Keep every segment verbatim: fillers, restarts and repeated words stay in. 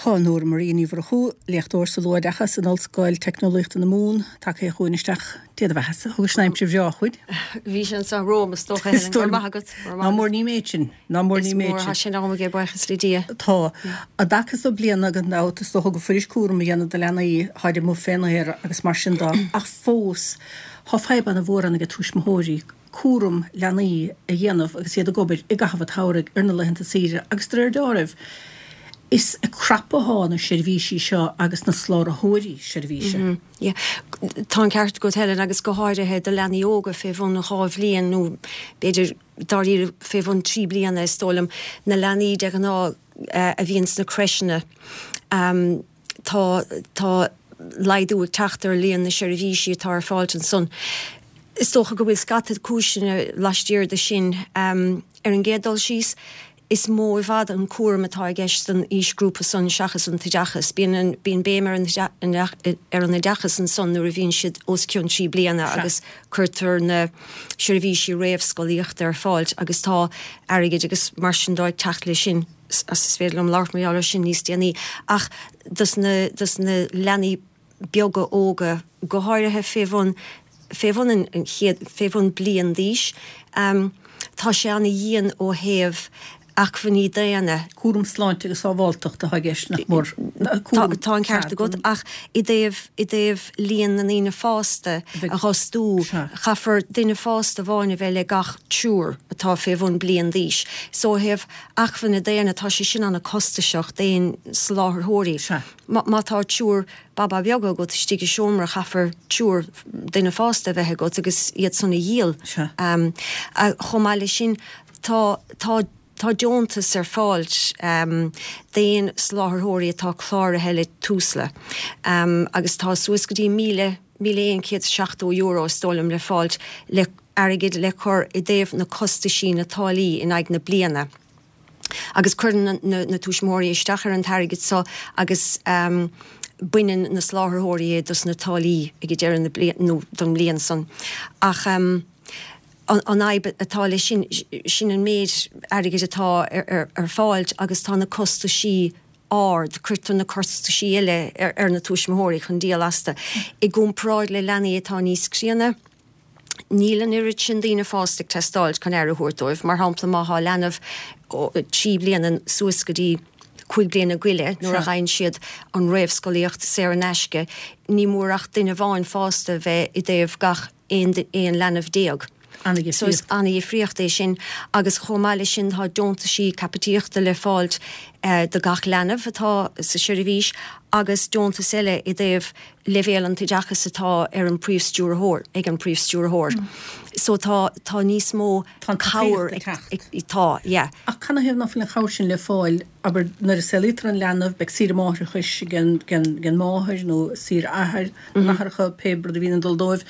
Tá Nóra Marie Ní Mhurchú, léachtóir sa luathoideachas in Ollscoil Teicneolaíochta na Mumhan, tagtha chugainn isteach. Dia do bheatha-sa, thugais an aimsir bhreá chugainn. Bhí sé anseo romham is dócha, Helen, go raibh maith agat. Ná mór ní méid sin, ná mór ní méid sin. Is mór, tá sin agam aige, buíochas le Dia. Tá. I dtaca so bliana gan dabht is dócha gur fuirist cúram a dhéanamh do leanaí tháid amuigh fén aer agus mar sin dó ach fós tá fadhb ana mhór ann ag tuismitheoirí cúram leanaí a dhéanamh agus iad ag obair i gcaitheamh an tsamhraidh ar na laethanta saoire agus de réir dealraimh is ag crapadh athá na seirbhísí seo agus na soláthróirí seirbhíse. Yeah. Tá an ceart agat Helen agus go háirithe do leanaí óga fé bhun dhá bhliain nó b'fhéidir dáiríre fé bhun trí bliana is dóigh liom, na leanaí de ghnáth a bhíonn sna crècheanna. Tá tá laghdú ag teacht ar líon na seirbhísí atá ar fáil ansan. Is dócha go bhfuil scata cúiseanna laistiar de sin. Ar an gcéad dul síos, is mó i bhfad an cúram atá i gceist don aoisghrúpa san seachas an t-oideachas. Bíonn an, bíonn béim ar an ar an oideachas ansan nuair a bhíonn siad os cionn trí bliana agus cuirtear na seirbhísí réamhscolaíochta ar fáil agus tá airgead agus mar sin dó ag teacht leis sin. Is féidir liom labhairt mar gheall air sin níos déanaí. Ach dos na, dos na leanaí beaga óga, go háirithe fé bhun, fé bhun an chéad, fé bhun bliain d'aois, tá sé ana-dhian ó thaobh acmhainní daonna. Cúram sláinte agus sábháilteachta atá i gceist, nach mór. Tá, tá an ceart agat, ach i dtaobh, i dtaobh líon na ndaoine fásta a dh'fhostú, caithfear duine fásta amháin a bheith le gach triúr atá fé bhun bliain d'aois. So ó thaobh acmhainne daonna, tá sé sin ana-costasach d'aon soláthróirí. Má tá triúr baba beaga agat istigh i seomra, caithfear triúr duine fásta a bheith agat agus iad san a dhíol. Chomh maith leis sin, tá, tá, tá deontas ar fáil d'aon soláthróirí atá cláraithe le Tusla agus tá suas go dtí míle, míle aon chéad is seachtó euro is dóigh liom le fáilt le airgead le cur i dtaobh na costaisí, na táillí in aghaidh na bliana. Agus cuireann na tuismitheoirí isteach ar an t-airgead so agus baineann na soláthróirí é dos na táillí ag deireadh na bliana nó don mbliain san. Ach an fhadhb atá leis sin, sin an méid airgid atá ar fáil agus tá na costaisí ard, cuirtear na costaisí eile ar na tuismitheoirí chun díol astu. I gcomparáid le leanaí atá níos críonna, Níl an oiread sin daoine fásta ag teastáil chun aire a thabhairt dóibh. Mar shampla, má thá leanbh trí bliana suas go dtí cúig bliana go leith, nuair a fhaigheann siad an réamhscolaíocht saor in aisce, ní mór ach duine amháin fásta a bheith i dtaobh gach aon leanbh déag. So is ana-dhifríocht é sin. Agus chomh maith leis sin tá deontaisí caipitíochta le fáilt do gach leanbh atá sa seirbhís agus deontas eile i dtaobh leibhéal an t-oideachas atá ar an príomhstiúrthóir, ag an príomhstiúrthóir. So tá, tá níos mó Tá an cabhair tacaíocht ag ag, teacht. Tá, yeah. Ach canathaobh ná fuil an chabhair sin le fáil, abair, nuair a saolaítear an leanbh, beidh saoire máithreachais ag an, ag an, ag an máthair nó saoire athar, na n-athracha, pé rud a bhíonn ag dul dóibh.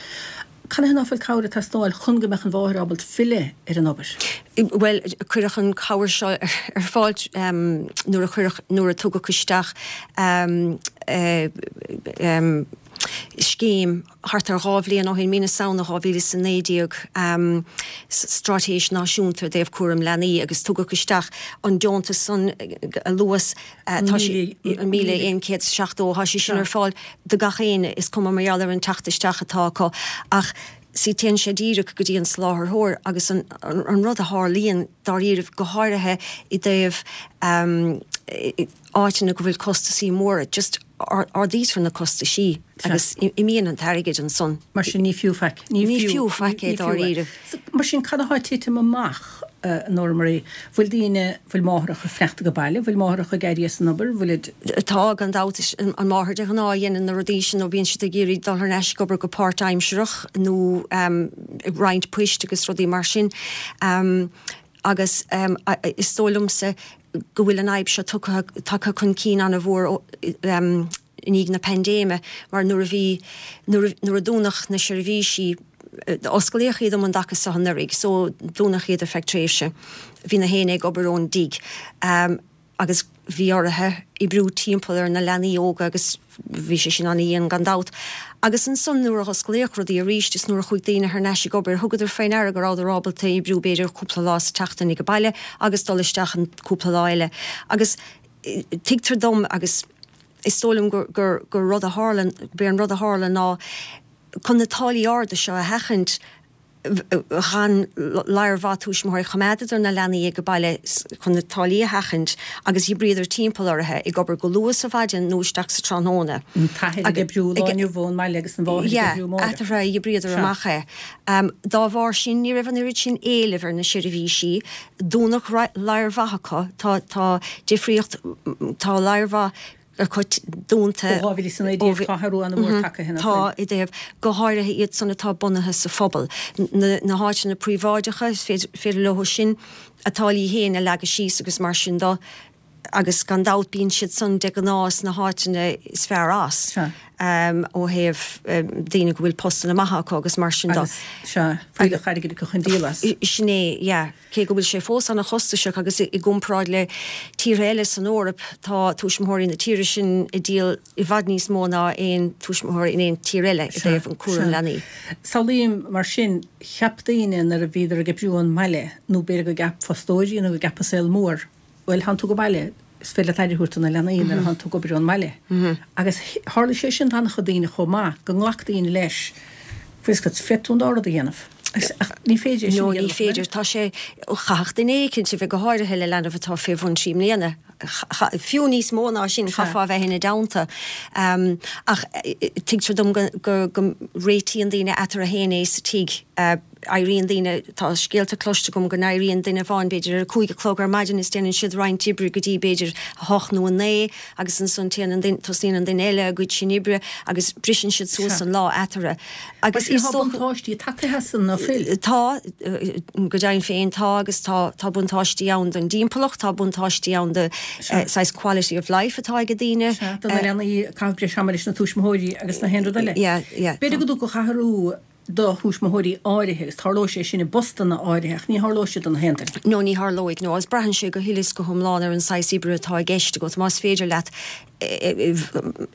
Canathaobh ná fuil cabhair ag teastáil chun go mbeadh an mháthair ábalta filleadh ar an obair? Bhuel, cuireadh an chabhair seo ar fáil nuair a cuireadh, nuair a tugadh isteach scéim thart ar dhá bhliain ó shin, mí na Samhna dhá mhíle is a naoi déag, Straitéis Náisiúnta i dtaobh Cúram Leanaí agus tugadh isteach an deontas san a luas. Tá sé an míle aon chéad is seachtó, tá sé sin ar fáil do gach éinne, is cuma mar gheall ar an teacht isteach atá acu. Ach sea, téann sé díreach go dtí an soláthróir agus an rud a tharlaíonn dáiríribh, go háirithe i dtaobh áiteanna go bhfuil costasaí móra, just ardaítear na costaisí agus imíonn an t-airgead ansan. Mar sin ní fiú faic. Ní fiú faic é dáiríre. Mar sin cad atá ag titim amach, a Nóra Marie? Bhfuil daoine, bhfuil máithreacha ag fanacht ag baile, bhfuil máithreacha ag éirí as an obair, bhfuilid. Tá, gan dabht. Is an mháthair de ghnáth a dhéanann na rudaí sin nó bíonn siad ag iarraidh dul thar n-ais ag obair go páirtaimsearach nó ag roinnt poist agus rudaí mar sin. Agus is dóigh liomsa go bhfuil an fhadhb seo tugtha, tagtha chun cinn an-mhór i ndiaidh na paindéime mar nuair a bhí, nuair a, nuair a dúnadh na seirbhísí, osclaíodh iad um an dtaca seo anuraidh so dúnadh iad ar feadh tréimhse, bhí na héinne ag obair ón dtigh. Agus bhí orthu oibriú timpeall ar na leanaí óga agus bhí sé sin ana-dhian gan dabht. Agus ansan nuair a osclaíodh rudaí arís is nuair a chuaigh daoine thar n-ais ag obair thugadar faoi ndeara go rabhadar ábalta oibriú b'fhéidir cúpla lá sa tseachtain ag baile agus dul isteach an cúpla lá eile. Agus Tuigtear dom agus is dóigh liom gur, gur, gur rud a tharla, b'é an rud a tharla ná chun na táillí arda seo a sheachaint, chan lear mhaith tuismitheoirí choimeádadar na leanaí ag baile chun na táillí a sheachaint agus dh'oibríodar timpeall orthu ag obair go luath sa mhaidin nó isteach sa tráthnóna. An t-athair ag oibriú lá inniu ón mbaile agus an mháthair ag oibriú amárach. Eatarthu a dh'oibríodar amach é. Dá bharr sin ní raibh an oiread sin éilimh ar na seirbhísí. Dúnadh lear mhaith acu. Tá tá difríocht tá lear mhaith acu dúnta. Ó dhá mhíle is a naoi déag tá athrú an-mhór tagtha ina Tá, i dtaobh, go háirithe iad san atá bunaithe sa phobal. Na na háiteanna príobháideacha, is féidir féidir leo sin a dtáillí féin a leagadh síos agus mar sin de agus gan dabht bíonn siad san de ghnáth sna háiteanna is fearr as Sea. ó thaobh daoine go bhfuil postanna maithe acu agus mar sin de. Agus, sea, fuílleach airgid acu chun díol as. Sin é, yeah. Cé go bhfuil sé fós an-chostasach agus i gcomparáid le tíortha eile san Eoraip, tá tuismitheoirí na tíre sin ag díol i bhfad níos mó ná aon tuismitheoir in aon tír eile i dtaobh an cúram leanaí. Samhlaím mar sin, cheap daoine nuair a bhíodar ag oibriú ón mbaile, nó b'fhéidir go gceap fostóirí nó go gceap an saol mór, bhuel, thánn tú ag baile, is féidir leat aire a thabhairt do na leanaí nuair a thánn tú ag obair ón mbaile. Agus tharla sé sin d'an-chuid daoine chomh maith, go nglac daoine leis, bhfuil fhios agat, féadfaidh tú an dá rud a dhéanamh. Ach ní féidir é sin No, a ní dhéanamh, an féidir. Tá sé, chaithfeadh duine éicint a bheith, go háirithe le leanbh atá fé bhun trí mbliana, fiú níos mó ná sin, chaithfeá a bheith ina dteannta. Ach tuigtear dom go, go, go réitíonn daoine eatarthu féin é sa tigh. Éiríonn daoine, tá scéalta cloiste agam go n-éiríonn duine amháin b'fhéidir ar a cúig a chlog ar maidin is déanann siad roinnt oibre go dtí b'fhéidir a hocht nó a naoi agus ansan téann an duine, tosnaíonn an duine eile a gcuid sin oibre agus briseann siad suas an lá eatarthu. Agus is dócha. Tá buntáistí tagtha as san, ná fuil? Tá, go deimhin féin tá agus tá, tá buntáistí ann don dtimpeallacht, tá buntáistí ann do saghas quality of life atá ag daoine. Sea, do na leanaí, caitheamh breis ama leis na tuismitheoirí agus na haon rud eile. Yeah, yeah. B'fhéidir go dtiocfadh athrú do thuismitheoirí áirithe, agus tarlóidh sé sin i bpostanna áirithe, ach ní tharlóidh sé do na haon duine. No, ní tharlóidh, no, agus braitheann sé go huile is go hiomlán ar an saghas oibre atá i gceist agat. Más féidir leat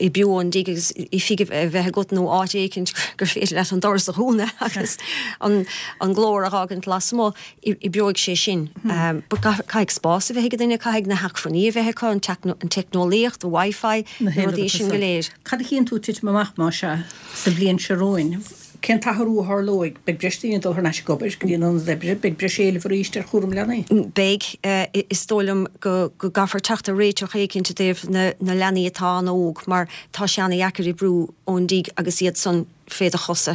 oibriú ón dtigh agus oifig a bheith agat nó áit éicint gur féidir leat an doras a dhúnadh agus an an glór a dh'fhágaint lasmuigh, oibreoidh sé sin. But caithfidh spás a bheith ag duine, caithfidh na hacmhainní a bheith acu, an teicneolaíocht, an Wi-Fi, na rudaí sin go léir. Cad a chíonn tú ag titim amach, más ea, sa bhliain seo romhainn? Cén t-athrú a tharlóidh? Beidh breis daoine ag dul thar n-ais ag obair go dtí an ionad oibre, beidh breis éilimh arís ar chúram leanaí. Beidh. Is dóigh liom go gcaithfear teacht ar réiteach éicint i dtaobh na leanaí atá an-óg mar tá sé an-dheacair oibriú ón dtigh agus iad san fé do chosa.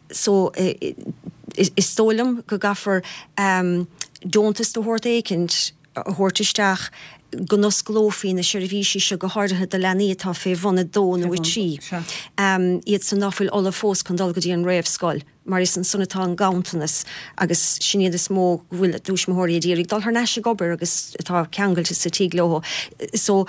So, is dóigh liom go gcaithfear deontas de shórt éicint a thabhairt isteach go n-osclófaí na seirbhísí seo, go háirithe do leanaí atá fé bhun a dó nó a trí, iad san ná fuil ullamh fós chun dul go dtí an réamhscoil, mar is ansan atá an ganntanas agus sin iad is mó go bhfuil a dtuismitheoirí ag iarraidh dul thar n-ais ag obair agus atá ceangailte sa tigh leo. So,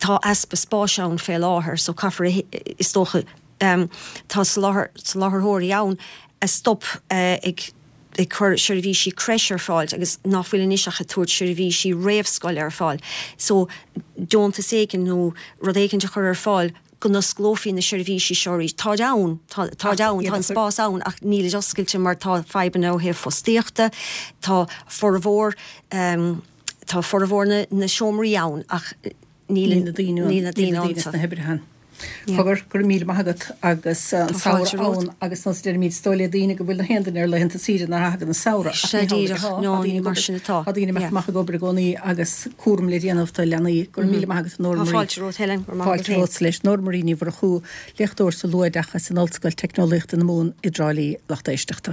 tá easpa spáis ann fé láthair, so caithfear, is dócha, Tá soláthróirí ann a stop ag ag cur seirbhísí creche ar fáil agus ná fuil anois ach ag tabhairt seirbhísí réamhscoile ar fáil. So, deontas éigin nó rud éigin a chur ar fáil go n-osclófaí na seirbhísí seo arís. Táid ann, táid ann, tá an spás ann ach nílid oscailte mar tá fadhbanna ó thaobh fostaíochta, tá formhór, tá formhór na seomraí ann ach níl na daoine ann, níl na daoine sna hoibrithe ann. Cogar, go raibh míle maith agat agus an samhradh ann agus nós a deirimid is dóigh le daoine go bhfuil na haon duine ar laethanta saoire nuair a thagann an samhradh ach ní hamhlaidh atá, tá daoine ag obair, tá daoine ag imeacht amach ag obair i gcónaí agus cúram le déanamh do leanaí. Go raibh míle maith agat a Nóra Marie. Fáilte romhat Helen, go raibh maith agat Fáilte romhat leis. Nóra Marie Ní Mhurchú, léachtóir sa luathoideachas in Ollscoil Teicneolaíochta na Mumhan i dTrá Lí, lucht éisteachta.